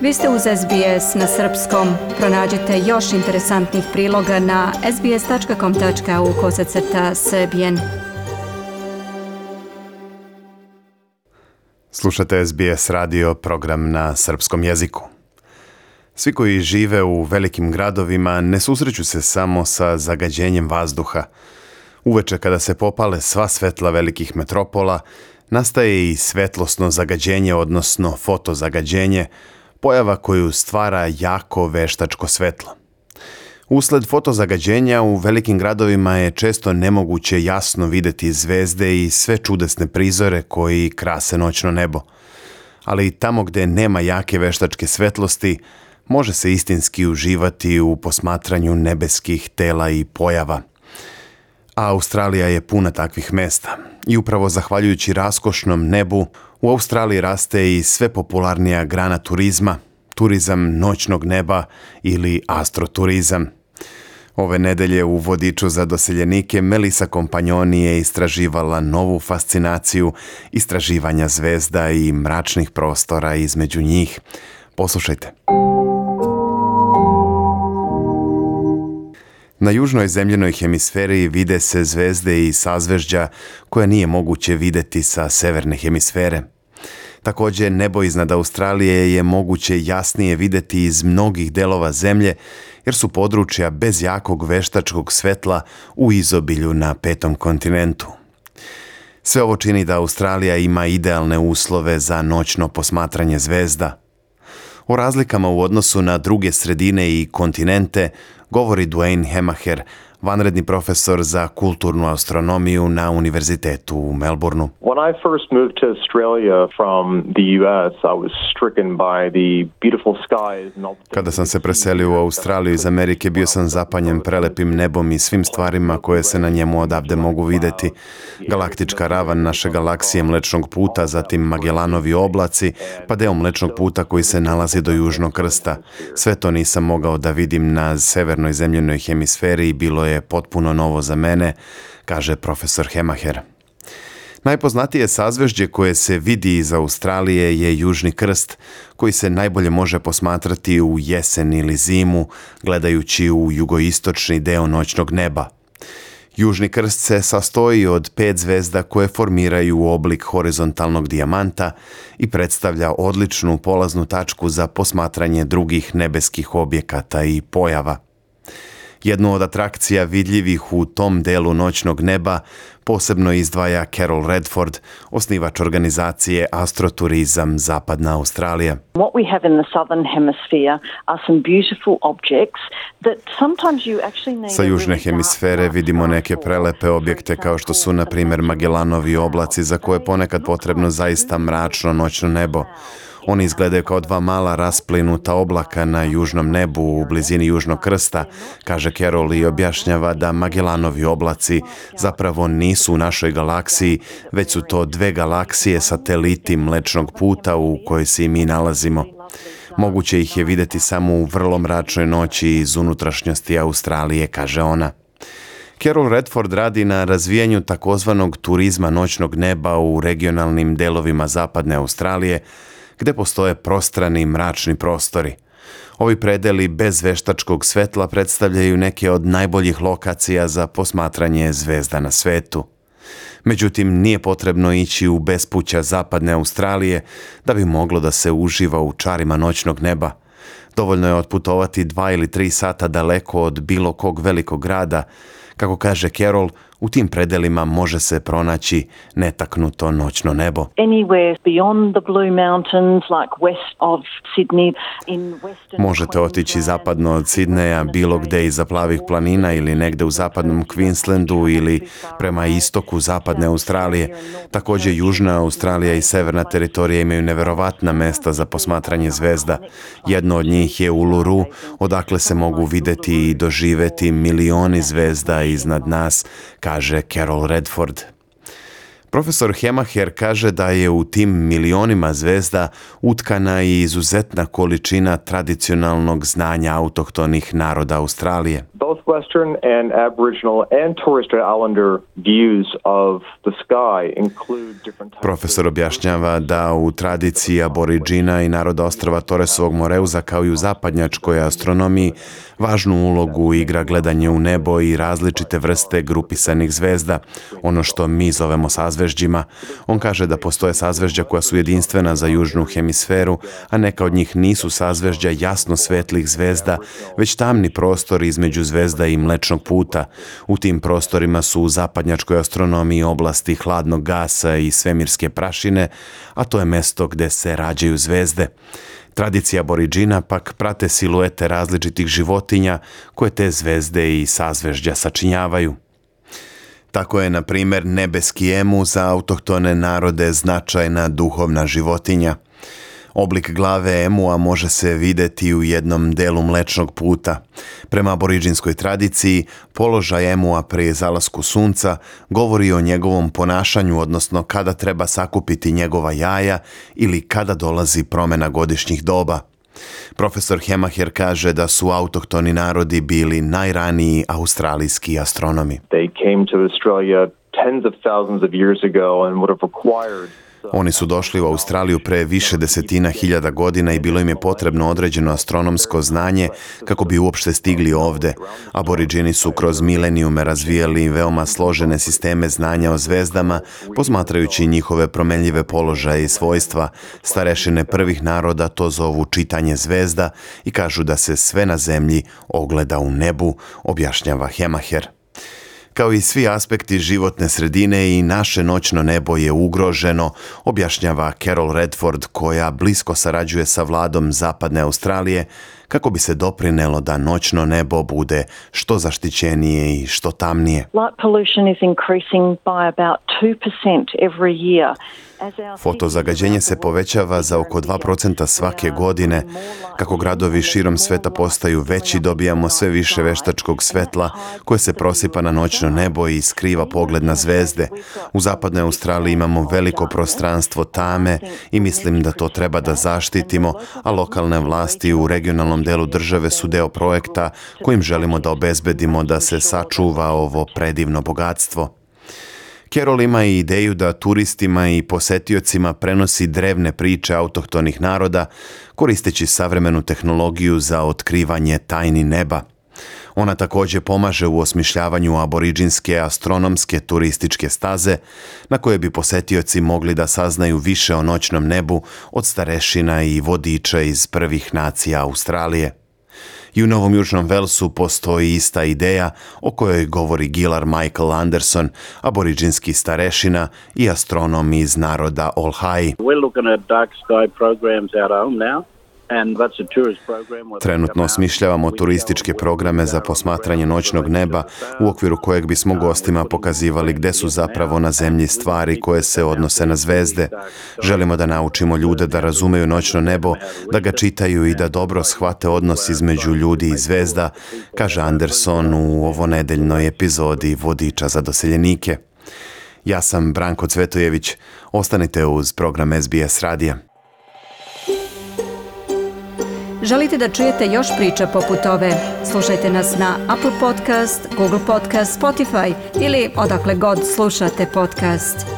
Vi ste uz SBS na srpskom. Pronađite još interesantnih priloga na sbs.com.au/srbijen. Slušate SBS radio, program na srpskom jeziku. Svi koji žive u velikim gradovima ne susreću se samo sa zagađenjem vazduha. Uveče kada se popale sva svetla velikih metropola, nastaje i svetlosno zagađenje, odnosno fotozagađenje, pojava koju stvara jako veštačko svetlo. Usled fotozagađenja u velikim gradovima je često nemoguće jasno videti zvezde i sve čudesne prizore koji krase noćno nebo. Ali tamo gde nema jake veštačke svetlosti, može se istinski uživati u posmatranju nebeskih tela i pojava. A Australija je puna takvih mesta. I upravo zahvaljujući raskošnom nebu, u Australiji raste i sve popularnija grana turizma, turizam noćnog neba ili astroturizam. Ove nedelje u vodiču za doseljenike Melissa Kompanjoni je istraživala novu fascinaciju istraživanja zvezda i mračnih prostora između njih. Poslušajte. Na južnoj zemljenoj hemisferi vide se zvezde i sazvežđa koje nije moguće videti sa severne hemisfere. Također, nebo iznad Australije je moguće jasnije videti iz mnogih delova zemlje, jer su područja bez jakog veštačkog svetla u izobilju na 5. kontinentu. Sve ovo čini da Australija ima idealne uslove za noćno posmatranje zvezda. O razlikama u odnosu na druge sredine i kontinente govori Duane Hemacher, vanredni profesor za kulturnu astronomiju na Univerzitetu u Melbourneu. When I first moved to Australia from the US, I was stricken by the beautiful skies. Kada sam se preselio u Australiju iz Amerike, bio sam zapanjen prelepim nebom i svim stvarima koje se na njemu odavde mogu videti. Galaktička ravan naše galaksije Mlečnog puta, zatim Magellanovi oblaci, pa deo Mlečnog puta koji se nalazi do Južnog krsta. Sve to nisam mogao da vidim na severnoj zemljenoj hemisferi i bilo je potpuno novo za mene, kaže profesor Hemacher. Najpoznatije sazvežđe koje se vidi iz Australije je Južni krst, koji se najbolje može posmatrati u jesen ili zimu, gledajući u jugoistočni deo noćnog neba. Južni krst se sastoji od 5 zvezda koje formiraju oblik horizontalnog dijamanta i predstavlja odličnu polaznu tačku za posmatranje drugih nebeskih objekata i pojava. Jednu od atrakcija vidljivih u tom delu noćnog neba posebno izdvaja Carol Redford, osnivač organizacije Astroturizam Zapadna Australija. What we have in the southern hemisphere are some beautiful objects that sometimes you actually need. Sa južne hemisfere vidimo neke prelepe objekte kao što su na primjer Magellanovi oblaci za koje je ponekad potrebno zaista mračno noćno nebo. Oni izgledaju kao 2 mala rasplinuta oblaka na južnom nebu u blizini Južnog krsta, kaže Carol i objašnjava da Magellanovi oblaci zapravo nisu u našoj galaksiji, već su to 2 galaksije sateliti Mlečnog puta u kojoj se i mi nalazimo. Moguće ih je videti samo u vrlo mračnoj noći iz unutrašnjosti Australije, kaže ona. Carol Redford radi na razvijanju takozvanog turizma noćnog neba u regionalnim delovima Zapadne Australije, gde postoje prostrani mračni prostori. Ovi predeli bez veštačkog svetla predstavljaju neke od najboljih lokacija za posmatranje zvezda na svetu. Međutim, nije potrebno ići u bespuća Zapadne Australije da bi moglo da se uživa u čarima noćnog neba. Dovoljno je otputovati 2 ili 3 sata daleko od bilo kog velikog grada. Kako kaže Carol, u tim predelima može se pronaći netaknuto noćno nebo. Možete otići zapadno od Sidneja, bilo gde iza plavih planina ili negde u zapadnom Queenslandu ili prema istoku Zapadne Australije. Također Južna Australija i Severna teritorija imaju neverovatna mesta za posmatranje zvezda. Jedno od njih je Uluru, odakle se mogu videti i doživeti milioni zvezda iznad nas, kaže Carol Redford. Profesor Hemacher kaže da je u tim milionima zvezda utkana i izuzetna količina tradicionalnog znanja autohtonih naroda Australije. both Western and Aboriginal and Torres Strait Islander views of the sky include different types. Profesor objašnjava da u tradiciji aboriđina i naroda ostrva Torresovog Moreuza kao i u zapadnjačkoj astronomiji važnu ulogu igra gledanje u nebo i različite vrste grupisanih zvezda, ono što mi zovemo sazvežđima. On kaže da postoje sazvežđa koja su jedinstvena za južnu hemisferu, a neka od njih nisu sazvežđa jasno svetlih zvezda, već tamni prostor između zvezda i Mlečnog puta. U tim prostorima su u zapadnjačkoj astronomiji oblasti hladnog gasa i svemirske prašine, a to je mesto gde se rađaju zvezde. Tradicija aboriđina pak prate siluete različitih životinja koje te zvezde i sazvežđa sačinjavaju. Tako je, na primjer, nebeski emu za autohtone narode značajna duhovna životinja. Oblik glave emua može se vidjeti u jednom delu Mlečnog puta. Prema aboriđinskoj tradiciji, položaj emua prije zalasku sunca govori o njegovom ponašanju, odnosno kada treba sakupiti njegova jaja ili kada dolazi promjena godišnjih doba. Profesor Hemaher kaže da su autohtoni narodi bili najraniji australijski astronomi. They came to Australia tens of thousands of years ago and would have required. Oni su došli u Australiju pre više desetina hiljada godina i bilo im je potrebno određeno astronomsko znanje kako bi uopšte stigli ovde. Aboriđini su kroz milenijume razvijali veoma složene sisteme znanja o zvezdama, posmatrajući njihove promenljive položaje i svojstva. Starešine prvih naroda to zovu čitanje zvezda i kažu da se sve na zemlji ogleda u nebu, objašnjava Hemaher. Kao i svi aspekti životne sredine, i naše noćno nebo je ugroženo, objašnjava Carol Redford, koja blisko sarađuje sa vladom Zapadne Australije kako bi se doprinelo da noćno nebo bude što zaštićenije i što tamnije. Light pollution is increasing by about 2% every year. Fotozagađenje se povećava za oko 2% svake godine. Kako gradovi širom sveta postaju veći, dobijamo sve više veštačkog svetla koje se prosipa na noćno nebo i skriva pogled na zvezde. U Zapadnoj Australiji imamo veliko prostranstvo tame i mislim da to treba da zaštitimo, a lokalne vlasti u regionalnom delu države su deo projekta kojim želimo da obezbedimo da se sačuva ovo predivno bogatstvo. Carol ima i ideju da turistima i posetiocima prenosi drevne priče autohtonih naroda, koristeći savremenu tehnologiju za otkrivanje tajni neba. Ona također pomaže u osmišljavanju aboriđinske astronomske turističke staze, na koje bi posetioci mogli da saznaju više o noćnom nebu od starešina i vodiča iz prvih nacija Australije. I u Novom Južnom Velsu postoji ista ideja o kojoj govori Gilar Michael Anderson, aboriđinski starešina i astronom iz naroda Olhai. We're looking at dark sky programs out home now. Trenutno osmišljavamo turističke programe za posmatranje noćnog neba, u okviru kojeg bismo gostima pokazivali gde su zapravo na zemlji stvari koje se odnose na zvezde. Želimo da naučimo ljude da razumeju noćno nebo, da ga čitaju i da dobro shvate odnos između ljudi i zvezda, kaže Anderson u ovonedeljnoj epizodi Vodiča za doseljenike. Ja sam Branko Cvetojević. Ostanite uz program SBS radija. Želite da čujete još priča poput ove? Slušajte nas na Apple Podcast, Google Podcast, Spotify ili odakle god slušate podcast.